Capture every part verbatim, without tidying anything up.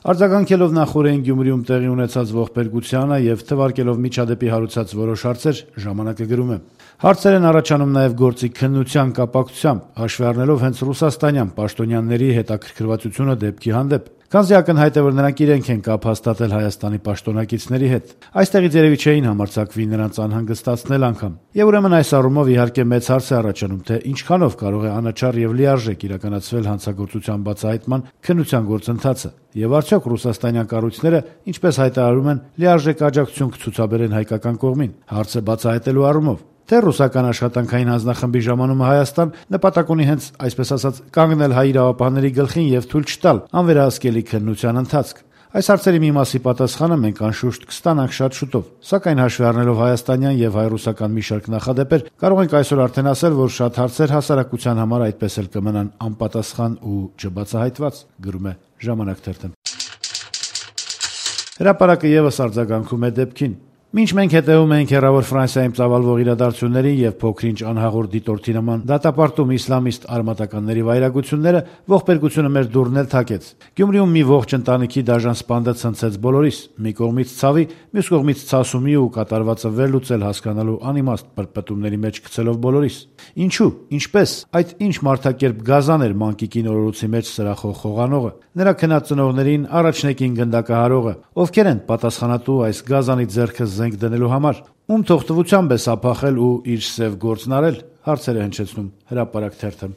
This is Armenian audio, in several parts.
Արձագանքելով նախօրեին Գյումրիում տեղի ունեցած ողբերգությանը եւ թվարկելով միջադեպի հարուցած որոշ հարցեր, ժամանակը գրում է. հարցեր են առաջանում նաեւ գործի քննության կապակցությամբ, հաշվի առնելով հենց ռուսաստանյան պաշտոնյաների հետաքրքրվածությունը դեպքի հանդեպ, քանզի ակնհայտ է, որ նրանք իրենք են կապ հաստատել Հայաստանի պաշտոնակիցների հետ։ Այստեղից երևի չէին համարձակվի նրանց անհանգստացնել անգամ։ Եվ ուրեմն այս առումով իհարկե մեծ հարց է առաջանում, թե ինչքանով կարող է անաչառ եւ լիարժեք իրականացվել հանցագործության բացահայտման քննության գործընթացը, եւ արդյոք ռուսաստանյան կառույցները, ինչպես հայտարարում են, լիարժեք աջակցություն կցուցաբերեն հայկական կողմին հարցը բացահայտելու առումով, թե ռուսական աշխատանքային հանձնախմբի ժամանումը Հայաստան նպատակ ունի հենց, այսպես ասած, կանգնել հայ իրավապահների գլխին եւ թույլ չտալ անվերահսկելի քննության ընթացք։ Այս հարցերի մի մասի պատասխանը մենք անշուշտ կստանանք շատ շուտով, սակայն հաշվի առնելով հայաստանյան եւ հայ-ռուսական մի շարք նախադեպեր, կարող ենք այսօր արդեն ասել, որ շատ հարցեր հասարակության համար այդպես էլ կմնան անպատասխան ու չբացահայտված, գրում է Ժամանակ թերթը։ Հրապարակը եւս արձագանքում է դեպքին։ Մինչ մենք հետևում ենք հեռավոր Ֆրանսիայում ծավալվող իրադարձություններին եւ փոքրինչ անհաղորդ դիտորդի նման դատապարտում իսլամիստ արմատականների վայրագությունները, ողբերգությունը մեր դուռն էլ թակեց։ Գյումրիում մի ողջ ընտանիքի դաժան սպանդը ցնցեց բոլորիս, մի կողմից ցավի, մյուս կողմից ցասումի ու կատարվածը վերլուծել հասկանալու անիմաստ պրպտումների մեջ գցելով բոլորիս։ Ինչու, ինչպես, այդ ինչ մարդակերպ գազան էր մանկիկի նորորոցի մեջ սրախող խողանողը, նրա քնած ծնողներին առաջնեկին գնդակահարողը, ովքեր են պատասխանատու այս գազանի ձեռքը զենք դնելու համար, ում թողտվությամբ է սափախել ու իր սև գործն արել, հարցեր է հնչեցնում Հրապարակ թերթը։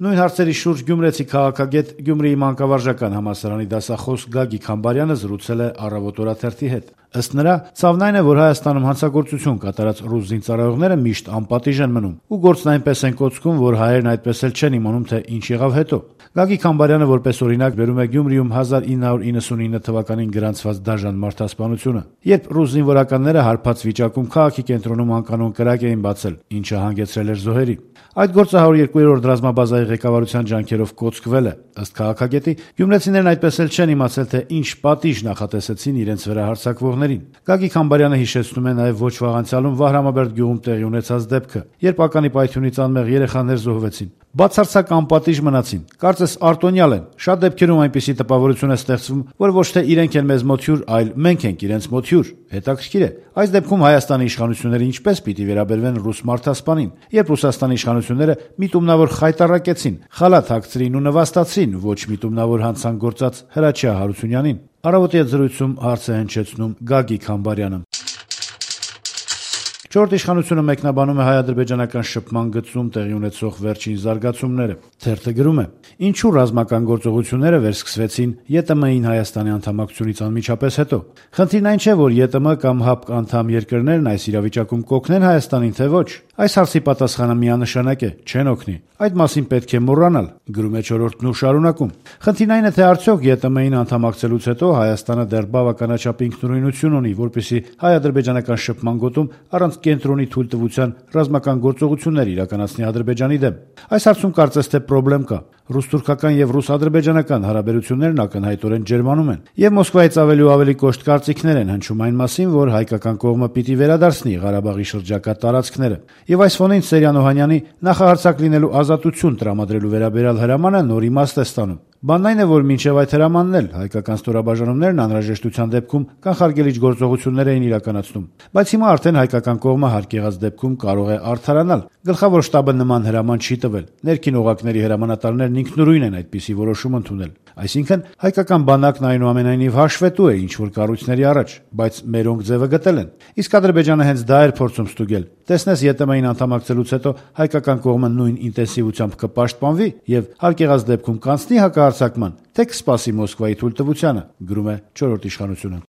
Նույն հարցերի շուրջ գյումրեցի քաղաքագետ, Գյումրիի մանկավարժական համալսարանի դասախոս Գագիկ Համբարյանը զրուցել է Առավոտ օրաթերթի հետ։ Ըստ նրա, ցավն այն է, որ Հայաստանում հանցագործություն կատարած ռուս զինծառայողները միշտ անպատիժ են մնում, ու գործն այնպես են կոծքում, որ հայերն այդպես էլ չեն իմանում, թե ինչ եղավ հետո։ Գագիկ Համբարյանը որպես օրինակ բերում է Գյումրիում հազար ինը հարյուր իննսունինը թվականին գրանցված դաժան մարդասպանությունը, երբ ռուս զինվորականները հարբած վիճակում քաղաքի կենտրոնում անկանոն կրակ էին բացել, ինչը հանգեցրել էր զոհերի։ Այդ գործը հարյուր երկու ռազմաբազայի ղեկավարության ջանքերով կոծկվել է։ Ըստ քաղաքագետի, գյումրեցիներն այդպես էլ չեն իմացել, թե ինչ պատիժ նախատեսեցին իրենց վրա հարձակվողներին։ Գագիկ Համբարյանը հիշեցնում է նաև ոչ վաղ անցյալում Վահրամաբերդ գյուղում տեղի ունեցած դեպքը, երբ ականի պայթյունից անմեղ երեխաներ զոհվեցին։ Բացարձակ անպատիժ մնացին, կարծես արտոնյալ են։ Շատ դեպքերում այնպիսի տպավորություն է ստեղծվում, որ ոչ թե իրենք են մեզ մոտ հյուր, այլ մենք ենք իրենց մոտ հյուր։ Հետաքրքիր է, այս դեպքում Հայաստանի իշխանությունները ինչպես պիտի վերաբերվեն ռուս մարդասպանին, երբ Ռուսաստանի իշխանությունները միտումնավոր խայտառակեցին, խալաթ հագցրին ու նվաստացրին ոչ միտումնավոր հանցանք գործած Հրաչյա Հարությունյանին։ Առավոտի հետ զրույցում հարց է հնչեցնում Գագիկ Համբարյանը։ Չորրորդ իշխանությունը մեկնաբանում է հայ-ադրբեջանական շփման գծում տեղի ունեցող վերջին զարգացումները։ Թերթը գրում է. Ինչու ռազմական գործողությունները վերսկսվեցին ԵՏՄ-ին Հայաստանի անդամակցությունից անմիջապես հետո։ Խնդիրն այն չէ, որ ԵՏՄ կամ ՀԱՊԿ անդամ երկրներն այս իրավիճակում կօգնեն Հայաստանին, թե ոչ։ Այս հարցի պատասխանը միանշանակ է՝ չեն օգնի։ Այդ մասին պետք է մոռանալ, գրում է Չորրորդն ու շարունակում։ Խնդիրն այն է, թե արդյոք ԵՏՄ-ին անդամակցելուց հետո Հայաստանը դեռ բավականաչափ ինքնուրույնություն ունի, որպեսզի հայ-ադրբեջանական շփման գոտում առանց կենտրոնի թույլտվության ռազմական գործողություններ իրականացնի Ադրբեջանի դեմ։ Այս հարցում կարծես թե պրոբլեմ կա։ Ռուս-թուրքական եւ ռուս-ադրբեջանական հարաբերություններն ակնհայտորեն ջերմանում են, եւ Մոսկվայից ավելի ու ավելի կոշտ կարծիքներ են հնչում այն մասին, որ հայկական կողմը պիտի վերադարձնի Ղարաբաղի շրջակա տարածքները։ Եվ այս ֆոնին Սերյան Օհանյանի նախահարձակ լինելու ազատություն տրամադրելու վերաբերյալ հրամանը նոր իմաստ է ստանում։ Բանն այն է, որ մինչև այդ հրամանն էլ հայկական ստորաբաժանումներն անհրաժեշտության դեպքում կանխարգելիչ գործողություններ էին իրականացնում, բայց հիմա արդեն հայկական կողմը հարկ եղած դեպքում կարող է արդարանալ։ Գլխավոր շտաբը նման հրաման չի տվել։ Ներքին օղակների հրամանատարներն ինքնուրույն են այդպիսի որոշում ընդունել։ Այսինքն հայկական բանակն այնուամենայնիվ հաշվետու է ինչ-որ կառույցների առաջ, բայց մերոնք ձևը գտել են։ Իսկ Ադրբեջանը հենց դա էր փորձում ստուգել։ Տեսնես ԵՏՄ-ին անդամակցելուց հետո հայկական կողմը նույն ինտենսիվությամբ կպաշտպանվի եւ հարկ եղած դեպքում կանցնի հակահարձակման, թե կսպասի Մոսկվայի թույլտվությանը, գրում է Չորրորդ իշխանությունը։